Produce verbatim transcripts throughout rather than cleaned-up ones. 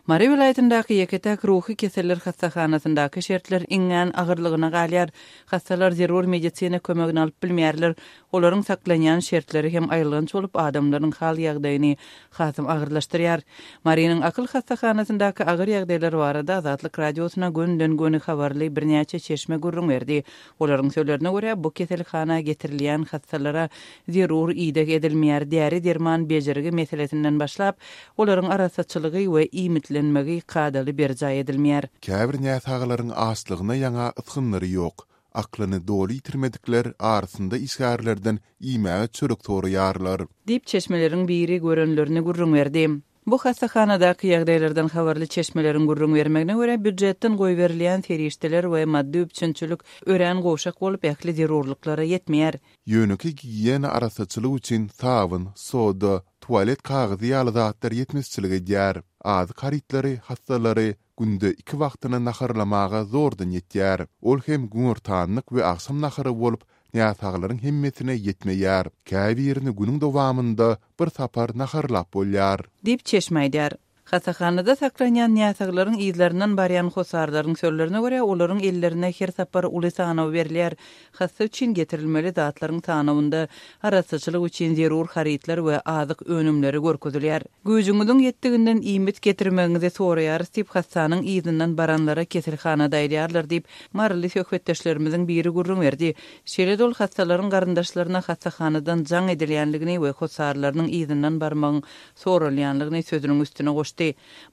Mary welaýatyndaky ýeke-täk ruhy keseller hassahanasyndaky şertler iňňän agyrlygyna galýar. Hassalar zerur medisina kömegini alyp bilmeýärler. Olaryň saklanýan şertleri hem aýylganç bolup, adamlaryň hal-ýagdaýyny hasam agyrlaşdyrýar. Marynyň akyl hassahanasyndaky agyr ýagdaýlar barada Azatlyk Radiosyna gönden-göni habarly birnäçe çeşme gürrüň berdi. Olaryň sözlerine görä, bu keselhana getirilýän hassalara zerur ideg edilmeýär, däri-derman bejergi meselesinden başlap, olaryň arassaçylygy we iýmitlenmegi kadaly berjaý edilmeýär. Käbir näsaglaryň açlygyna ýaňa ysgynlary ýok. Aklyny doly ýitirmedikler arasynda işgärlerden iýmäge çörek soraýarlar. Diýip, çeşmeleriň biri görenlerini gürrüň berdi. Bu hassahanadaky ýagdaýlardan habarly çeşmeleriň gürrüň bermegine görä, býujetden goýberilýän serişdeler we maddy üpjünçilik örän gowşak bolup, ähli zerurlyklara ýetmeýär. Ýönekeý gigiýena arassaçylyk üçin sabyn, soda, tualet kagyzy ýaly zatlar ýetmezçilik edýär. Azyk harytlary hassalary günde iki wagtyna naharlamaga zordan ýetýär. Ol hem günortanlyk we agşam nahary bolup, näsaglaryň hemmesine ýetmeýär. Käbirini günüň dowamynda bir sapar naharlap bolýar. Diýip, çeşme aýdýar. Hassahanada saklanýan näsaglaryň yzlaryndan barýan hossarlaryň sözlerine görä, olaryň ellerine her sapar uly sanaw berilýär. Hassa üçin getirilmeli zatlaryň sanawynda arassaçylyk üçin zerur harytlar we azyk önümleri görkezilýär. Güýjüňiziň ýetdiginden iýmit getirmegiňizi soraýarys diýip, hassanyň yzyndan baranlara keselhanada aýdýarlar diýip, maryly söhbetdeşlerimiziň biri gürrüň berdi. Şeýle-de ol hassalaryň garyndaşlaryna hassahanadan jaň edilýänligini we hossarlarynyň yzyndan barmagyň soralýanlygyny sözüniň üstüne goşdy.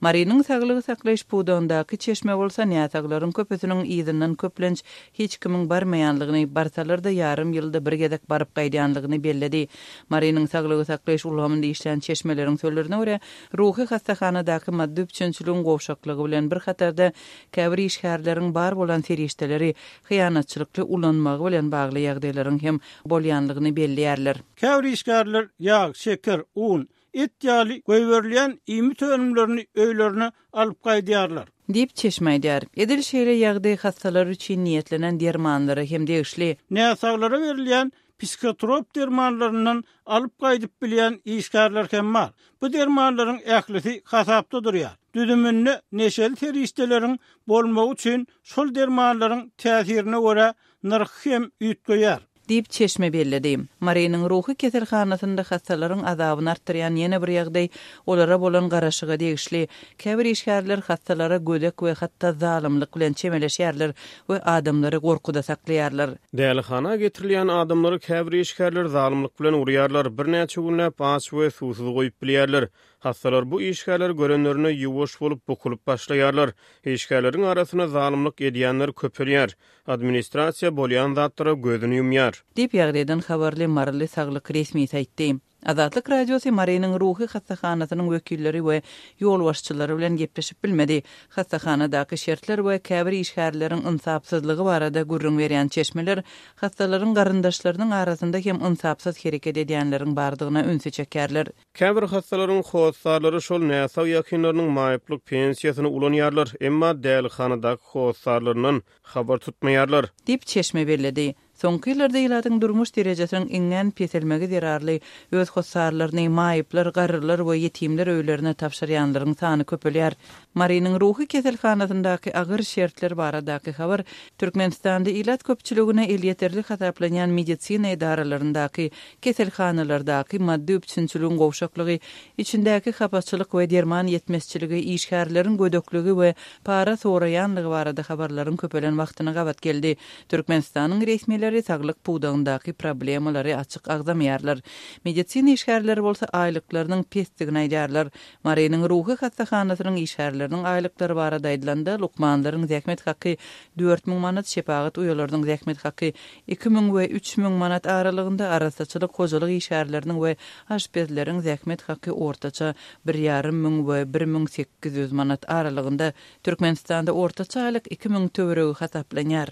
Marynyň saglygy saklaýyş pudagyndaky çeşme bolsa näsaglaryň köpüsiniň yzyndan köplenç hiç kimiň barmaýanlygyny, barsalar-da ýarym ýylda bir gezek baryp gaýdýanlygyny belledi. Marynyň saglygy saklaýyş ulgamynda işleýän çeşmeleriň sözlerine görä, ruhy hassahanadaky maddy üpjünçiligiň gowşaklygy bilen bir hatarda käbir işgärleriň bar bolan serişdeleri hyýanatçylykly ulanmagy bilen bagly ýagdaýlaryň hem bolýanlygyny belleýärler. Käbir işgärler ýag, şeker, un, et ýaly goýberilýän iýmit önümlerini öýlerine alyp gaýdýarlar. Diýip, çeşme aýdýar. Edil şeýle ýagdaý hassalar üçin niýetlenen dermanlara hem degişli. Näsaglara berilýän psihotrop dermanlaryndan alyp gaýdyp bilýän işgärler hem bar. Bu dermanlaryň ählisi hasapda durýar. Düzüminde neşeli serişdeleriň bolmagy üçin şol dermanlaryň täsirine görä nyrhy hem üýtgeýär. Diýip, çeşme belledi. Marynyň ruhy keselhanasynda hassalaryň azabyny artdyrýan ýene bir ýagdaý olara bolan garaşyga degişli. Käbir işgärler hassalara gödek we hatda zalymlyk bilen çemeleşýärler we adamlary gorkuda saklaýarlar. Dälihana getirilýän adamlary käbir işgärler zalymlyk bilen urýarlar, birnäçe günläp aç we suwsuz goýup bilýärler. Hassalar bu işgärleri görenlerinde ýuwaş bolup bukulyp başlaýarlar. Işgärleriň arasynda zalymlyk edýänler köpelýär. Administrasiýa bolýan zatlara gözüni ýumýar. Diýip, ýagdaýdan habarly maryly saglyk resmisi aýtdy. Azatlyk Radiosy Marynyň ruhy hassahanasynyň wekilleri we ýolbaşçylary bilen gepleşip bilmedi. Hassahanadaky şertler we käbir işgärleriň ynsapsyzlygy barada gürrüň berýän çeşmeler hassalaryň garyndaşlarynyň arasynda hem ynsapsyz hereket edýänleriň bardygyna ünsi çekýärler. Käbir hassalaryň hossarlary şol näsag ýakynlarynyň maýyplyk pensiýasyny ulanýarlar, emma dälihanadaky hossarlaryndan habar tutmaýarlar. Diýip, çeşme belledi. Soňky ýyllarda ilatyň durmuş derejesiniň iňňän peselmegi zerarly öz hossarlaryny maýyplar, garrylar we ýetimler öýlerine tabşyrýanlaryň sany köpelýär. Marynyň ruhy keselhanasyndaky agyr şertler baradaky habar Türkmenistanda ilat köpçüligine elýeterli hasaplanýan medisina edaralaryndaky, keselhanalardaky maddy üpjünçiligiň gowşaklygy, içindäki hapaçylyk we derman ýetmezçiligi, işgärleriň gödekligi we para soraýanlygy barada habarlaryň köpelen wagtyna gabat geldi. Türkmenistanyň resmileri saglyk pudagyndaky problemalary açyk agzamaýarlar. Medisina işgärleri bolsa aýlyklarynyň pesdigini aýdýarlar. Marynyň ruhy hassahanasynyň işgärleriniň aýlyklary barada aýdylanda, lukmanlaryň zähmet haky dört müň manat, şepagat uýalarynyň zähmet haky iki müň we üç müň manat aralygynda, arassaçylyk, hojalyk işgärleriniň we aşpezleriň zähmet haky ortaça bir ýarym müň we bir müň sekiz ýüz manat aralygynda. Türkmenistanda ortaça aýlyk iki müň töweregi hasaplanýar.